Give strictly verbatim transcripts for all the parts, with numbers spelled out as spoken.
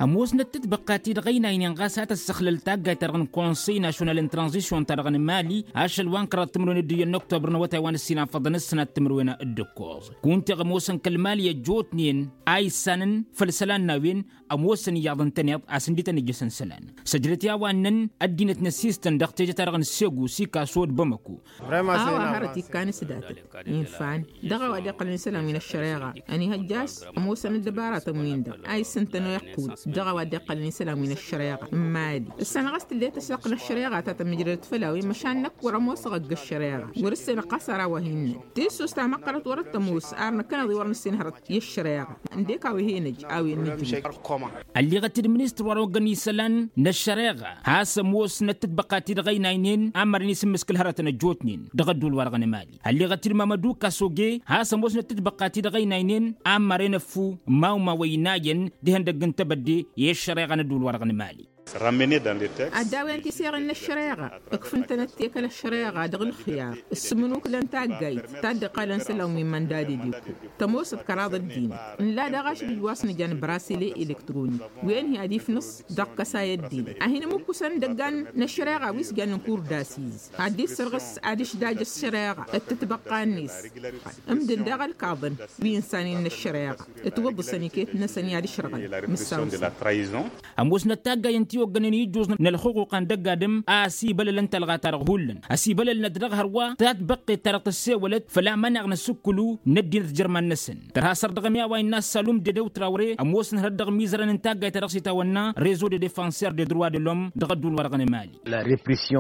Ămoosnăt tǝtbăqqa-ti-dăɣ ăynaynen ɣas a tăssăxlăl taggayt-ta-dăɣ n-konsăy nasyonal n-tranzisyon-ta-dăɣ n-mali ašăl wa n-kăraḍ timǝrwen d-iyyăn n-oktobăr n-awătay wa n-ǝssin a făḍăn ǝssănat timǝrwen d-ǝkkoẓ kunta i-ămoosăn kăl-mali ăjjootnen a issanăn făll-isălan n-a-wen. Ămoosăn iyyăḍ ǝntăneḍ a-s ǝndităn ǝjjăsăn isălan săjdăt i-a-wa ǝnnăn ăddinăt n-ăssistăn dăɣ-teje-ta-dăɣ n-segu sikaso d-bamăko. A-wa hărăt ikkan s-datăt infan dăɣ-a-wa dd-iqqălăn isălan wi n-ăššăreɣa ănihăjja a-s ămoosăn ăddăbaratăn-win-dăɣ a issǝntăn oiqqul dăɣ-a-wa dd-iqqălăn isălan wi n-ăššăreɣa n-mali. Ǝssanăɣ a-s tǝllet asăqq n-ăššăreɣa ta tămmǝjrădăt făll-a-wen măšan năkk wăr-ămoosăɣ ăgg-ăššăreɣa wăr-ǝssenăɣ ɣas ar a-wa hin-năn tissust ta măqqărăt wăr-ăttămoos ar năkkăneḍ-i wăr-nǝssin hărăt i-ăššăreɣa. Ǝndek a-wa he-năj a-wen nǝjǝw. Ălleɣăt-dd ministăr wa n-oggăn isălan n-ăššăreɣa has-ămoosnăt tǝtbăqqa-ti-dăɣ ăynaynen a ămmărăn isǝmmǝskǝl hărătăn ăjjootnen dăɣ-ădduul-wa-dăɣ n-emali. Ălleɣăt-dd mămădu kasoge has-ămoosnăt tǝtbăqqa-ti-dăɣ ăynaynen a ămmărăn ăffu mawma wa inayăn d-ihăndăgg n-tebădde i-ăššăreɣa n-ădduul-wa-dăɣ n-emali. Ad-dawăn tiseɣen n-ăššăreɣa ǝkfǝn-tănăt tekăl ăššăreɣa dăɣ-ǝlxǝyar ǝssǝmǝnukǝlăn taggayt ta dd-iqqălăn isălan wi n-imăndad edikku tămoosăt kăraḍ ăddinăt. Nǝlla daɣ ašăl ǝjj wa s-nǝja n-brasile elektronik wen-hi ad-ifnǝṣ dăɣ-kăsay ăddinăt a hin-ǝmǝkkusăn idăggan n-ăššăreɣa wi s-jannen kur d-asiz ad-dd-issărɣǝs ad-ǝšdaj ăššăreɣa d-tǝtbăqqa-net. Ǝmdǝn daɣ ălkaḍăn wi ǝnsanen n-ăššăreɣa ǝtwǝḍǝsăn iket-năsăn i-ad-ǝšrăɣăn mǝssaw-năsăn. Ămoosnăt taggayăn ti oggănen ijjuẓ n-ălxuquqa n-dăgg-adǝm a ăsibălălăn talɣa-ta-dăɣ hullan ăsibălălnăt dăɣ-hărwa tatbăqqet-ta-dăɣ tăssewălăt făll-amăneɣ n-asǝkkǝlu n-ăddinăt jărman-năsăn. Tărha săr dăɣ-mi a-wa innă assalum dedew trawre ămoosăn hărăt dăɣ-imizărăn n-taggayt-ta-dăɣ s-itawănna rezo de defenseur de droit de lăwm dăɣ-ădduul-wa-dăɣ n-emali.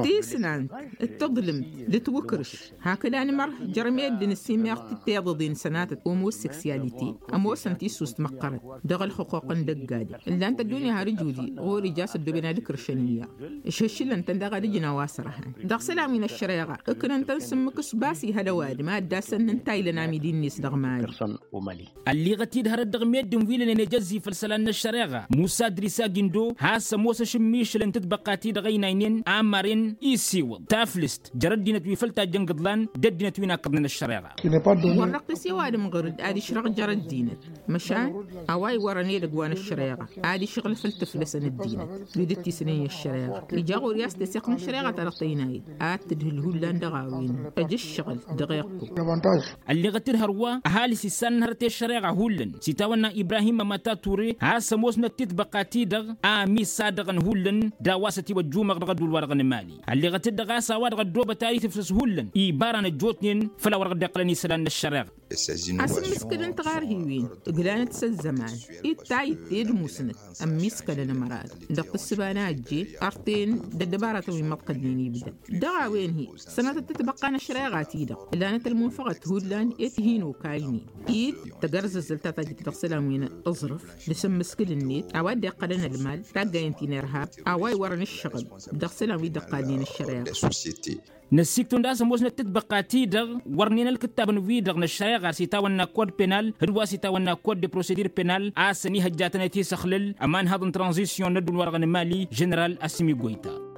Tisnant d-taḍlǝmt d-tiwǝkrǝš hakd anmăr jer-meddǝn ăssimeɣ-t d-tiḍăḍen sănatăt homoseksyalite. Ămoosăn tissust măqqărăt dăɣ-ălxuquq n-dăgg-adǝm ǝllan-t ăddunya har ǝjudi ɣur-ija a-s ăddooben ad-ǝkrǝšăn iyyăḍ. Ǝšhǝššǝlăn-tăn daɣ ad-ǝjǝn a-wa sărhan dăɣ-isălan wi n-ăššăreɣa ǝknăn-tăn s-ǝmmǝk s-bass ihăl ăwadǝm a dd-asănnăn ta ilăn amidi-net dăɣ-mali. Ălliɣăt-dd hărăt dăɣ-meddǝn wi lănen ejăzzi făll-isălan n-ăššăreɣa musa ădrisa gindo has-ămoos ašǝmmišǝl n-tǝtbăqqa-ti-dăɣ ăynaynen a ămmaren isiwǝḍ taflǝst jer-ăddinăt wi făl tajjăn gǝḍlan d-ăddinăt wi n-akkăḍnen ăššăreɣa. Wăr-năqqis i-ăwadǝm ɣur-dd ad-išrăɣ jer-ăddinăt măšan a-wa iwărăn edăgg wa n-ăššăreɣa ad-išɣǝl făll-tǝflăsăn ăddinăt wi dd-tisnen i-ăššăreɣa. Ija ɣur-i a-s teseɣt n-ăššăreɣa-ta-dăɣ tăynayăt ad-tǝdhǝl hullan dăɣ-a-wen ăj ǝššăɣǝl dăɣ-iqqu. Ălleɣăt-dd hărwa ăhalǝs issan n-hărăt i-ăššăreɣa hullan s-itawănna ibrahim mămăta ture has-ămoosnăt titbăqqa-ti-dăɣ a ămisadăɣăn hullan d-a-wa s-ătiwăjjumăɣ dăɣ-ădduul-wa-dăɣ n-emali. Ălleɣăt-dd ɣas a-wa-dăɣ ăddoobăt ad-itǝfsǝs hullan ibaran ăjjootnen făll-a-wăr dăɣ-dd-iqqălăn isălan n-ăššăreɣa. Asǝmmǝskǝd n-tiɣarhiwen ǝglanăt s-ăzzăman ittay itte d-musnăt ămmiskălăn ămăra-dăɣ dăɣ-tǝssǝba n-ajje. Ărten d-ăddăbaratăn wi n-imăḍkălnen ibdăd dăɣ-a-wen-hi sănatăt tǝtbăqqa n-ăššăreɣa-ti-dăɣ ǝllanăt ălmunfăɣăt hullan i-tihǝnokaynen i-tagărzăzzălt ta tajjăt dăɣ-isălan wi n-aẓrǝf d-asǝmmǝskǝl-net a-wa dd-iqqălăn ălmal taggayen ti n-irhab a-wa iwărăn ǝššăɣǝl dăɣ-isălan wi dd-iqqalnen ăššăreɣa. Năssiktǝwăn d-a-s ămoosnăt tǝtbăqqa-ti-dăɣ wărnen ălkǝttabăn-wi-dăɣ n-ăššăreɣa s-itawănna kod penal d-wa s-itawănna kod de prosedur penal a-s ănihăjjatăn i-tisăxlǝl ămanhăḍ n-tranzisyon n-ădduul-wa-dăɣ n-emali ženeral asǝmi goyta.